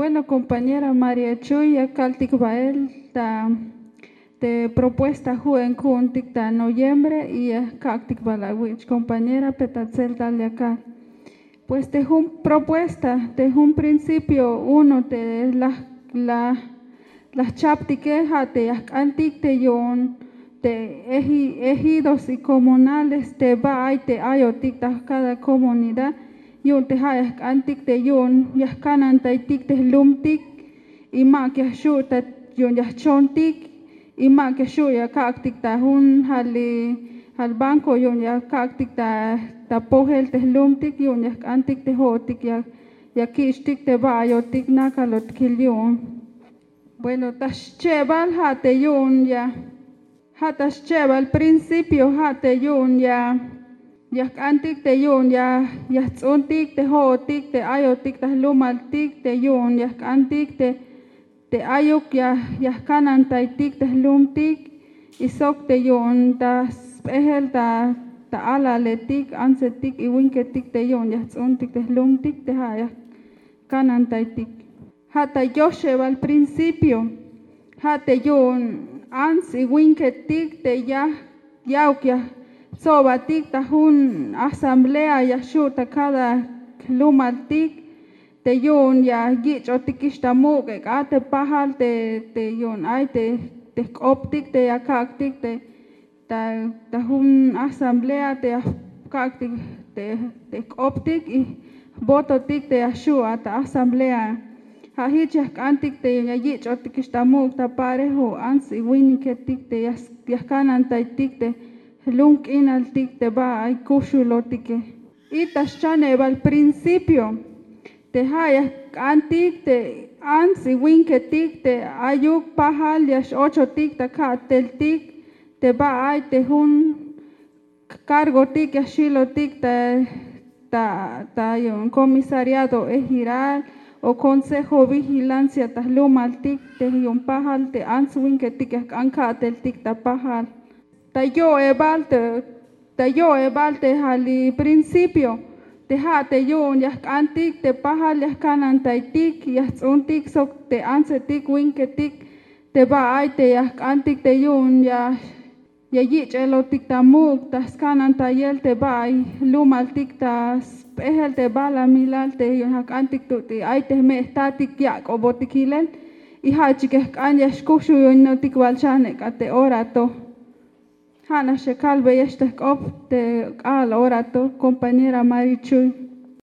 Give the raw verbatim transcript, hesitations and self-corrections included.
Bueno, compañera María Chuy, ya kaltik bael ta te propuesta ju'en ku'untik ta noviembre y ya kak'tik bal awich' compañera Petatzel tal ya kal. Pues te jun propuesta, te jun principio uno te la la la jchaptike ja' te ya jk'antik te yu'un te eji- ejidos y comunales te ba ay te ayotik ta cada comunidad. Yu'un te ja' ya jk'antik te yu'un ya jkanantaytik te jlumtik y mak ya xu' ta yu'un ya jchontik y mak ya xu' ya kak'tik ta jun jal jal banco yu'un ya kak'tik ta ta pojel te jlumtik yu'un ya jk'antik te jo'otik ya ya kich'tik te ba ayotik nakalotikil yu'un. Bueno, ta xchebal ja' te yu'un ya ja' ta xchebal principio ja' te yu'un ya ya jk'antik te yu'un ya ya jts'untik te jo'otik te ayotik ta jlumaltik te yu'un ya jk'antik te te ayuk ya ya jkanantaytik te jlumtik y sok te yu'un ta sp'ejel ta ta alaletik antsetik y winketik te yu'un ya jts'untik te jlumtik te ja' ya jkanantaytik. Ja' ta yoxebal principio ja' te yu'un ants y winketik te ya ya'uk ya jtsobatik ta jun asamblea ya xu' ta cada jlumaltik te yu'un ya yich'otikix ta muk' ek'a te pajal te te yu'un ay te te jk'optik te ya kak'tik te ta ta jun asamblea te ya kak'tik te te jk'optik y jvototik te ya xu' a ta asamblea. Ja' jich ya jk'antik te ya yich'otikix ta muk' ta parejo ants y winiketik te ya ya jkanantaytik te jlum k'inaltik te ba ay kuxulotike. Y ta xchanebal principio te ja' ya jk'antik te ants y winketik te ayuk pajal ya x-ochotik ta ka'teltik te ba ay te jun cargotik ya xilotik ta ta ta yu'un comisariado ejidal o consejo vigilancia ta jlumaltik te yu'un pajal te ants winketik ya jk'an ka'teltik ta pajal. Ta yo'ebal te ta yo'ebal te jali principio te ja' te yu'un ya jk'antik te pajal ya jkanantaytik ya jts'untik sok te antsetik winketik te ba ay te ya jk'antik te yu'un ya ya yich'elotik ta muk' ta skanantayel te ba ay jlumaltik ta sp'ejel te balamilal te yu'un ya jk'antik tu' te ay te jme' jtatik yak'obotik jilel. Y ja' chike jk'an ya xkuxuyonotik bal xan ek'a te ora to. Ja' nax ya kalbeyex te jk'op te k'a'al ora to compañera Mari Chuy.